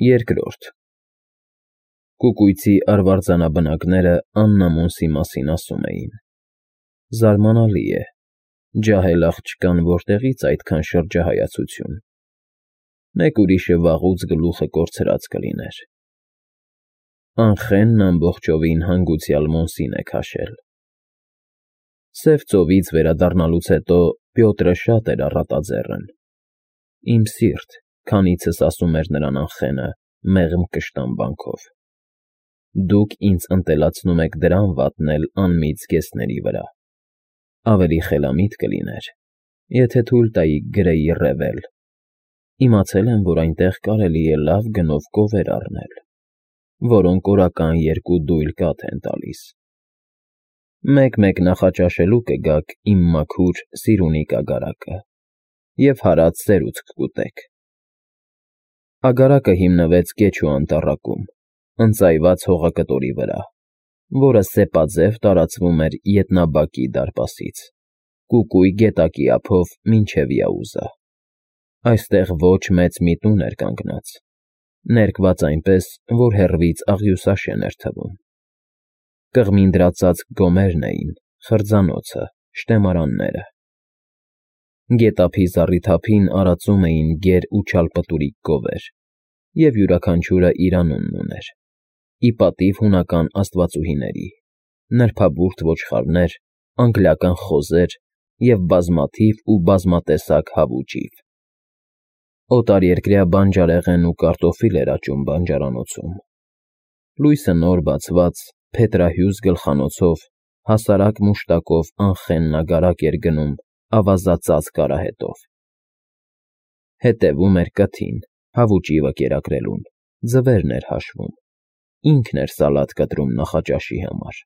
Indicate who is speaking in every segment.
Speaker 1: Երկրորդ Կուկույցի արվարձանաբնակները Աննամոնսի մասին ասում էին. զարմանալի է, ջահել աղջկան որտեղից այդքան շրջահայացություն, մեկ ուրիշը վաղուց գլուխը կորցրած կլիներ։ Անխենն ամբողջովին հանգուցյալ Մոնսին է քաշել։ Սև ծովից վերադառնալուց հետո Պյոտրը շատ էր առատաձեռն։ Իմ սիրտ, քանիցս ասում էր նրան Անխենը մեղմ կշտամբանքով։ Դուք ինձ ընտելացնում եք դրամ վատնել անմիտ զգեստների վրա։ Ավելի խելամիտ կլիներ, եթե թույլ տայիք գրեի ռևել։ Իմացել եմ, որ այնտեղ կարելի է լավ գնով կովեր առնել, որոնք օրական 2 դույլ կաթ են տալիս։ Մեկ-մեկ նախաճաշելու կգաք իմ մաքուր սիրունիկ ագարակը և հարած սերուցք կուտեք։ Ագարակը հիմնվեց Կեչու անտառակում, ընծայված հողակտորի վրա, որը սեպաձև տարածվում էր Ետնաբակի դարպասից, Կուկույ գետակի ափով մինչև Яուզա։ Այստեղ ոչ մեծ մի տուն էր կանգնած, ներկված այնպես, որ հեռվից աղյուսաշեն էր թվում։ Կղմինդրածածկ գոմերն էին, խրձանոցը, շտեմարանները։ Գետափի զառիթափին արածում էին գեր ու չալպտուրիկ գովեր, և յուրաքանչյուրը իր անունն ուներ՝ ի պատիվ հունական աստվածուհիների, նրբաբուրդ ոչխարներ, անգլիական խոզեր և բազմաթիվ ու բազմատեսակ հավու ճիվ։ Օտարերկրյա բանջարեղեն ու կարտոֆիլ էր աճում բանջարանոցում։ Լույսը նոր բացված, փետրահյուզ գլխանոցով, հասարակ մուշտակով Անխենն ագարակ էր գնում ավազածածկ արահետով։ Հետևում էր կթին, հավու ճիվը կերակրելուն, ձվերն էր հաշվում, ինքն էր սալատ կտրում նախաճաշի համար։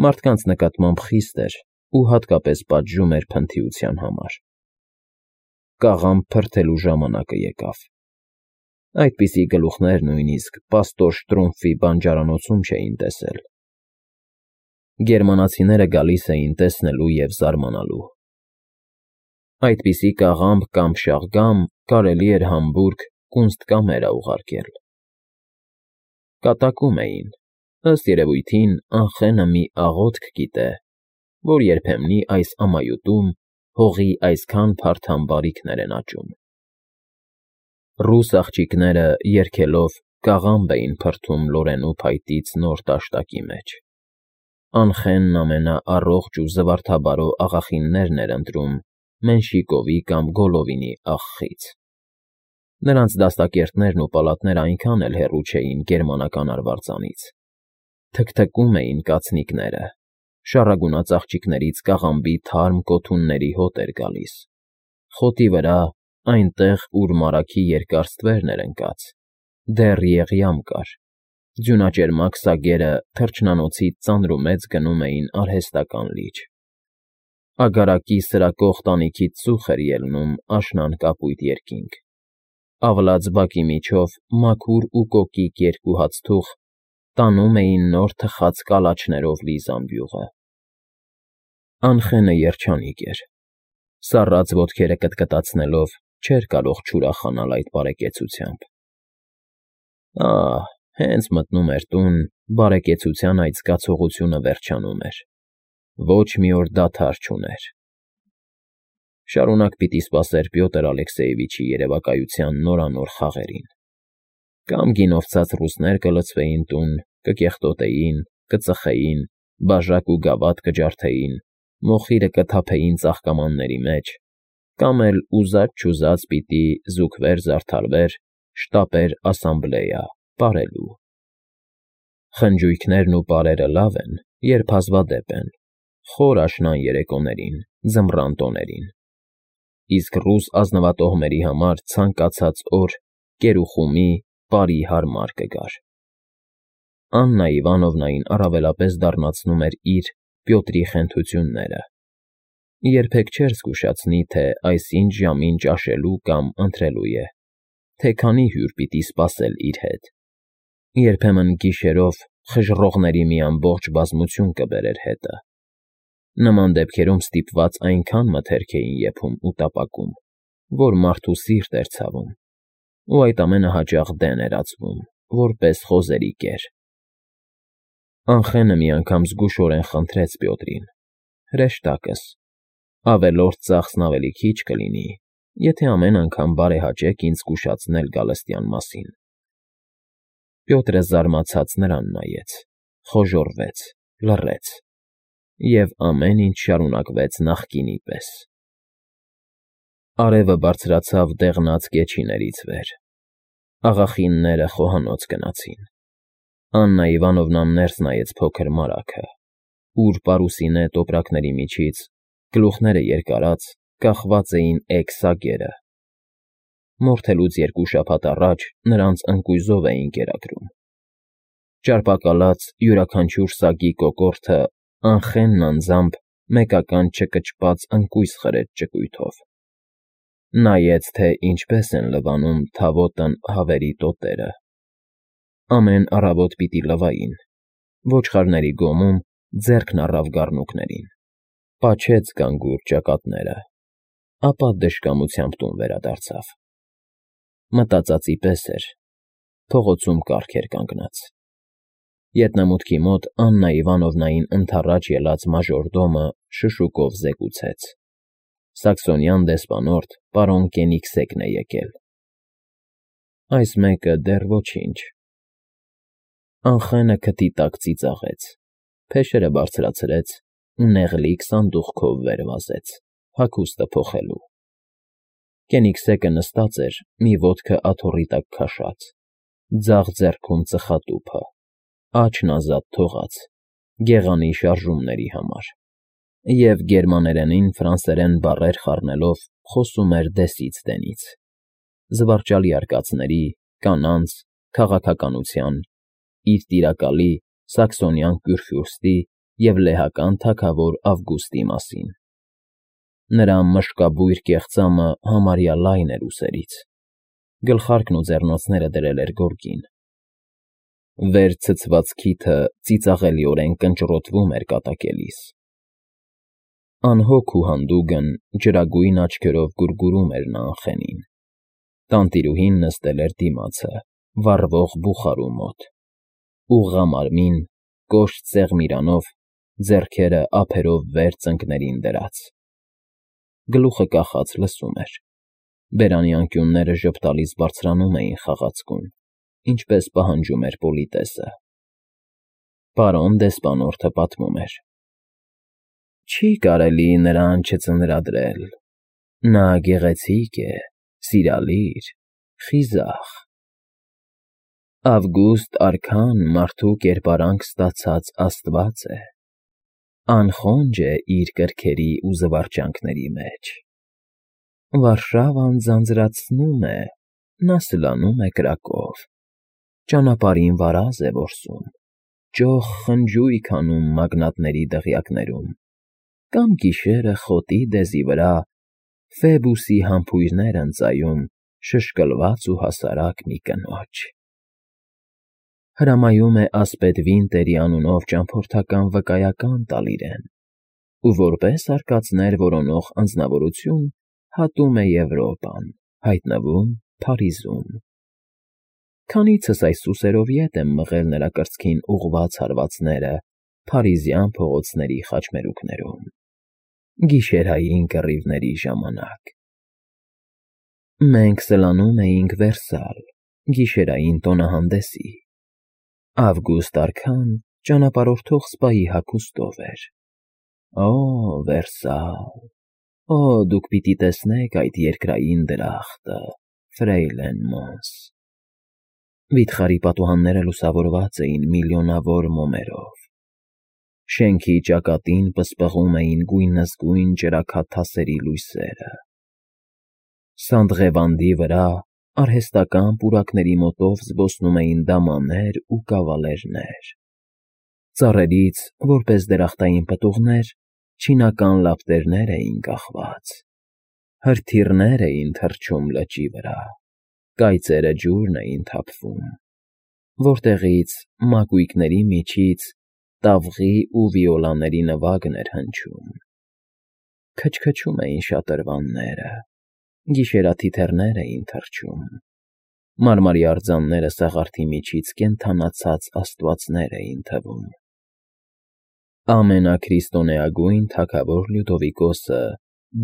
Speaker 1: Մարդկանց նկատմամբ խիստ էր ու հատկապես պատժում էր փնթիության համար։ Կաղամբ փրթելու ժամանակը եկավ։ Այդպիսի գլուխներ նույնիսկ պաստոր Շտրումֆի բանջարանոցում չէին տեսել։ Գերմանացիները գալիս էին տեսնելու և զարմանալու։ Այդպիսի կաղամբ կամ շաղգամ կարելի էր Համբուրգ Կունստկամերա ուղարկել։ Կատակում էին, ըստ երևույթին Անխենը մի աղոթք գիտե, որ երբեմնի այս ամայութում հողի այսքան փարթամ բարիքներ են աճում։ Ռուս աղջիկները երգելով կաղամբ էին փրթում Լորենու փայտից նոր տաշտակի մեջ։ Անխենն ամենաառողջ ու զվարթաբարո աղախիններն էր ընտրում Մենշիկովի կամ Գոլովինի աղխից։ Նրանց դաստակերտներն ու պալատները այնքան էլ հեռու չէին գերմանական արվարձանից։ Թքթքում էին կացնիկները, շառագունած աղջիկներից կաղամբի թարմ կոթունների հոտ էր գալիս։ Խոտի վրա, այնտեղ, ուր մարագի երկար ստվերն էր ընկած, դեռ եղյամ կար։ Ձյունաճերմակ սագերը թռչնանոցից ծանրումեծ գնում էին արհեստական լիճ։ Ագարակի սրակող տանիքից ծուխ էր ելնում աշնան կապույտ երկինք։ Ավլաց բակի միջով մաքուր ու կոկիկ 2 հացթուղ տանում էին նոր թխած կալաչներով լի զամբյուղը։ Անխենը երջանիկ էր։ Սառած ոտքերը կտկտացնելով չէր կարող չուրախանալ այդ բարեկեցությամբ։ Հենց մտնում էր տուն, բարեկեցության այդ զգացողությունը վերջանում էր։ Ոչ մի օր դադար չուներ։ Շարունակ պիտի սպասեր Պյոտր Ալեքսեևիչի երևակայության նորանոր խաղերին։ Կամ գինովցած ռուսներ կլցվեին տուն, կկեղտոտեին, կծխեին, բաժակ ու գավաթ կջարդեին, մոխիրը կթափեին ծաղկամանների մեջ, կամ էլ ուզած֊չուզած պիտի զուգվեր֊զարդարվեր, շտապեր ասամբլեա, պարելու։ Խնջույքներն ու պարերը լավ են, երբ հազվադեպ են, խոր աշնան երեկոներին, ձմռան տոներին։ Իսկ ռուս ազնվատոհմերի համար ցանկացած օր կերուխումի, պարի հարմար կգար։ Աննա Իվանովնային առավելապես դառնացնում էր իր Պյոտրի խենթությունները։ Երբեք չէր զգուշացնի, թե այսինչ ժամին ճաշելու կամ ընթրելու է, թե քանի հյուր պիտի սպասել իր հետ։ Երբեմն գիշերով խժռողների մի ամբողջ բազմություն կբերեր հետը։ Նման դեպքերում ստիպված այնքան մթերք էին եփում ու տապակում, որ մարդու սիրտ էր ցավում։ ու այդ ամենը հաճախ դեն էր ածվում, որպես խոզերի կեր։ Անխենը մի անգամ զգուշորեն խնդրեց Պյոտրին. «Հրեշտակս, ավելորդ ծախսն ավելի քիչ կլինի, եթե ամեն անգամ բարեհաճեք ինձ զգուշացնել գալստյան մասին»։ Պյոտրը զարմացած նրան նայեց, խոժոռվեց, լռեց, և ամեն ինչ շարունակվեց նախկինի պես։ Արևը բարձրացավ դեղնած կեչիներից վեր։ Աղախինները խոհանոց գնացին։ Աննա Իվանովնան ներս նայեց փոքր մարագը, ուր պարուսինե տոպրակների միջից, գլուխները երկարած, կախված էին էգ սագերը։ Մորթելուց 2 շաբաթ առաջ նրանց ընկույզով էին կերակրում։ Ճարպակալած յուրաքանչյուր սագի կոկորդը անխենն անձամբ մեկական չկճված ընկույզ խրեց ճկույթով։ Նայեց, թե ինչպես են լվանում թավոտն հավերի տոտերը։ Ամեն առավոտ պիտի լվային։ Ոչխարների գոմում ձեռքն առավ գառնուկներին, պաչեց գանգուր ճակատները, ապա դժկամությամբ տուն վերադարձավ։ Մտածածի պես էր, փողոցում կառք էր կանգնած։ Ետնամուտքի մոտ Աննա Իվանովնային ընդառաջ ելած մաժորդոմը շշուկով զեկուցեց. «Սաքսոնյան դեսպանորդ պարոն Կենիգսեկն է եկել»։ Այս մեկը դեռ ոչինչ։ Անխենը քթի տակ ծիծաղեց, փեշերը բարձրացրեց ու նեղլիկ սանդուղքով վեր վազեց, հագուստը փոխելու։ Կենիգսեկը նստած էր մի ոտքը աթոռի տակ քաշած, ձախ ձեռքում ծխատուփը, աչքն ազատ թողած, գեղանի շարժումների համար, և գերմաներենին ֆրանսերեն բառեր խառնելով խոսում էր դեսից դենից, զվարճալի արկածների, կանանց, քաղաքականության, իր տիրակալի սաքսոնյան կյուրֆյուրստի և լեհական թագավոր Ավգուստի մասին։ Նրա մշկաբույր կեղծամը համարյա լայն էր ուսերից, գլխարկն ու ձեռնոցները դրել էր գորգին։ Վեր ցցված քիթը ծիծաղելիորեն կնճռոտվում էր կատակելիս։ Անհոգ ու հանդուգն ջրագույն աչքերով գուրգուրում էր նա Անխենին։ Տանտիրուհին նստել էր դիմացը, վառվող բուխարու մոտ, ուղղամարմին, կոշտ սեղմիրանով, ձեռքերը ափերով վեր ծնկներին դրած։ Գլուխը կախած լսում էր։ Բերանի անկյունները ժպտալից բարձրանում էին խաղացկուն, ինչպես պահանջում էր պոլիտեսը։ Պարոն դեսպանորդը պատմում էր. «Չի կարելի նրան չծնրադրել։ Նա գեղեցիկ է, սիրալիր, խիզախ։ Ավգուստ արքան մարդու կերպարանք ստացած աստված է, անխոնջ է իր կրքերի ու զվարճանքների մեջ։ Վարշավան ձանձրացնում է, նա սլանում է կրակով, ճանապարհին վարազ է որսում, ճոխ խնջույք անում մագնատների դղյակներում, կամ գիշերը խոտի դեզի վրա Ֆեբուսի համբույրներ ընծայում շշկլված ու հասարակ մի կնոջ։ Հրամայում է ասպետ Վինտերի անունով ճամփորդական վկայական տալ իրեն, ու որպես արկածներ որոնող անձնավորություն հատում է Եվրոպան, հայտնվում Փարիզում։ Քանիցս այս սուսերով ետ եմ մղել նրա կրծքին ուղղված հարվածները փարիզյան փողոցների խաչմերուկներում, գիշերային կռիվների ժամանակ։ Մենք սլանում էինք Վերսալ, գիշերային տոնահանդեսի։ Ավգուստ արքան ճանապարհորդող սպայի հագուստով էր։ Օ, Վերսալ, օ, դուք պիտի տեսնեք այդ երկրային դրախտը, ֆրեյլեն Մոնս։ Վիթխարի պատուհանները լուսավորված էին միլիոնավոր մոմերով։ Շենքի ճակատին պսպղում էին գույնզգույն ճրագաթասերի լույսերը։ Սանդղեվանդի վրա արհեստական պուրակների մոտով զբոսնում էին դամաներ ու կավալերներ։ Ծառերից, որպես դրախտային պտուղներ, չինական լապտերներ էին կախված։ Հրթիռներ էին թռչում լճի վրա, կայծերը ջուրն էին թափվում, որտեղից մակույկների միջից տավղի ու վիոլաների նվագն էր հնչում։ Քչքչում էին շատրվանները, գիշերաթիթեռներ էին թռչում, Մարմարի արձանները սաղարթի միջից կենդանացած աստվածներ էին թվում։ Ամենաքրիստոնեագույն թագավոր Լյուդովիկոսը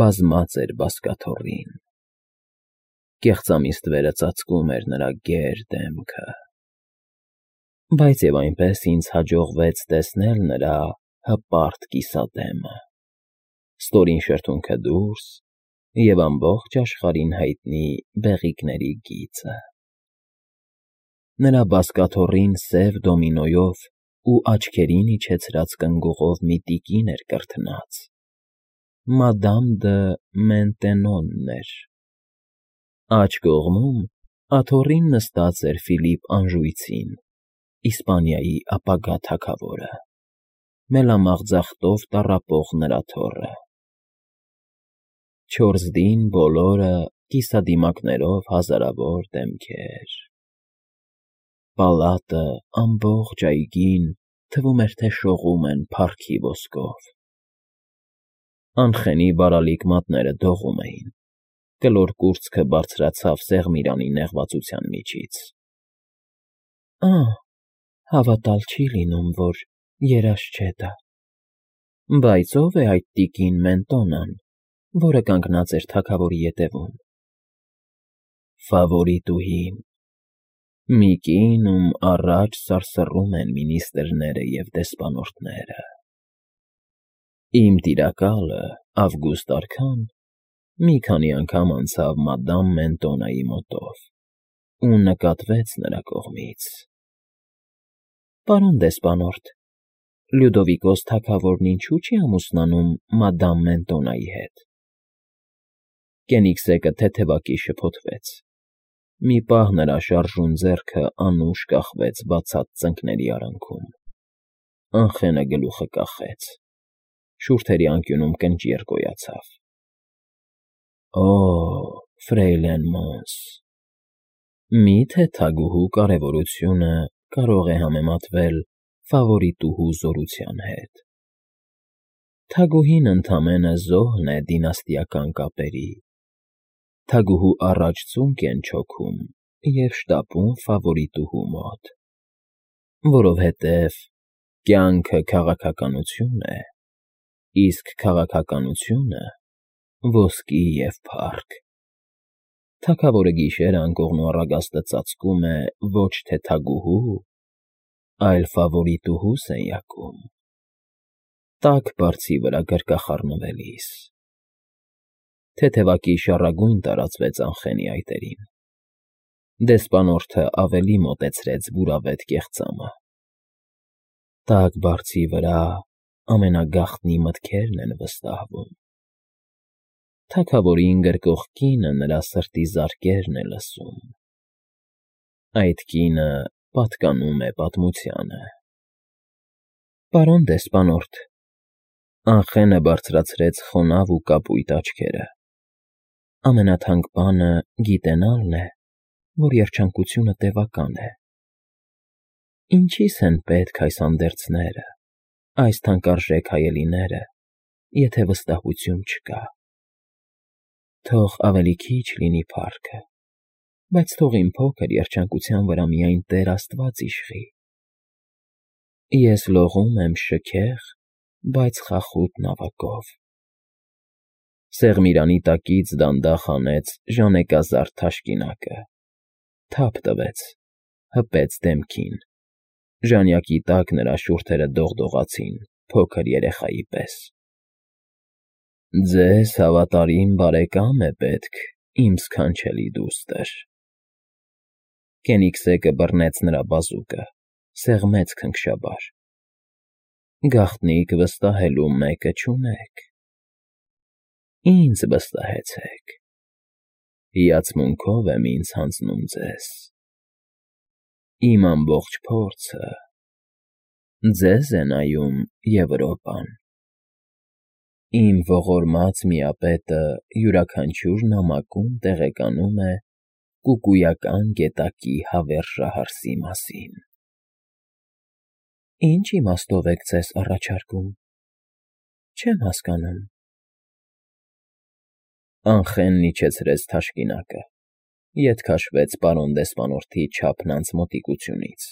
Speaker 1: բազմած էր բազկաթոռին։ Կեղծամիստվերը ծածկում էր նրա գեր դեմքը։ Բայց և այնպես ինձ հաջողվեց տեսնել նրա հպարտ կիսադեմը, ստորին շրթունքը դուրս և ամբողջ աշխարհին հայտնի բեղիկների գիծը։ Նրա բազկաթոռին սև դոմինոյով ու աչքերին իջեցրած կնգուղով մի տիկին էր կրթնած, Մադամ դը Մենտենոնն էր։ Աջ կողմում աթոռին նստած էր Ֆիլիպ Անժույցին, Իսպանիայի ապագա թագավորը, մելամաղձախտով տառապող նրա թոռը։ Չորսդին բոլորը կիսադիմակներով հազարավոր դեմքեր։ Պալատը ամբողջ այգին թվում էր, թե շողում են փառքի ոսկով։ Անխենի բարալիկ մատները դողում էին, կլոր կուրծքը բարձրացավ Սեղմիրանի նեղվածության միջից։ Հավատալ չի լինում, որ երազ չէ դա։ Բայց ո՞վ է այդ տիկին Մենտոնան, որը կանգնած էր թագավորի ետևում։ Ֆավորիտուհին, մի կին, ում առաջ սարսռում են մինիստրները և դեսպանորդները։ Իմ տիրակալը՝ Ավգուստ արքան, մի քանի անգամ անցավ Մադամ Մենտոնայի մոտով ու նկատվեց նրա կողմից։ Պարոն դեսպանորդ, Լյուդովիկոս թագավորն ինչու՞ չի ամուսնանում Մադամ Մենտոնայի հետ։ Կենիգսեկը թեթևակի շփոթվեց։ Մի պահ նրա շարժուն ձեռքը անուշ կախվեց բացած ծնկների արանքում։ Անխենը գլուխը կախեց։ Շուրթերի անկյունում կնճիռ գոյացավ։ Ֆրեյլեն Մոնս, մի՞թե թագուհու կարևորությունը կարող է համեմատվել ֆավորիտուհու զորության հետ։ Թագուհին ընդամենը զոհն է դինաստիական կապերի։ Թագուհու առաջ ծունկ են չոքում և շտապում ֆավորիտուհու մոտ, որովհետև կյանքը քաղաքականություն է, իսկ քաղաքականությունը ոսկի և փառք։ Թագավորը գիշերը անկողնու առագաստը ծածկում է ոչ թե թագուհու, այլ ֆավորիտուհու սենյակում, տաք բարձի վրա գրկախառնվելիս։ Թեթևակի շառագույն տարածվեց Անխենի այտերին։ Դեսպանորդը ավելի մոտեցրեց բուրավետ կեղծամը։ Տաք բարձի վրա ամենագաղտնի մտքերն են վստահվում։ Թագավորին գրկող կինը նրա սրտի զարկերն է լսում։ Այդ կինը պատկանում է պատմությանը։ Պարոն դեսպանորդ, Անխենը բարձրացրեց խոնավ ու կապույտ աչքերը։ Ամենաթանկ բանը գիտենալն է, որ երջանկությունը տևական է։ Ինչի՞ս են պետք այս անդերձները, այս թանկարժեք հայելիները, եթե վստահություն չկա։ Թող ավելի քիչ լինի փառքը, բայց թող իմ փոքր երջանկության վրա միայն Տեր Աստված իշխի։ Ես լողում եմ շքեղ, բայց խախուտ նավակով։ Սեղմիրանի տակից դանդաղ հանեց ժանեկազարդ թաշկինակը, թափ տվեց, հպեց դեմքին։ Ժանյակի տակ նրա շուրթերը դողդողացին փոքր երեխայի պես։ Ձեզ հավատարիմ բարեկամ է պետք, իմ սքանչելի դուստր։ Կենիգսեկը բռնեց նրա բազուկը, սեղմեց քնքշաբար։ Գաղտնիք վստահելու մեկը չունեք։ Ինձ վստահեցեք։ Հիացմունքով եմ ինձ հանձնում ձեզ։ Իմ ամբողջ փորձը ձեզ է նայում Եվրոպան։ Իմ ողորմած միապետը յուրաքանչյուր նամակում տեղեկանում է կուկույական գետակի հավերժահարսի մասին։ Ինչ իմաստով եք ձեզ առաջարկում։ Չեմ հասկանում։ Անխենն իջեցրեց թաշկինակը, Ետ քաշվեց պարոն դեսպանորդի չափն անց մոտիկությունից։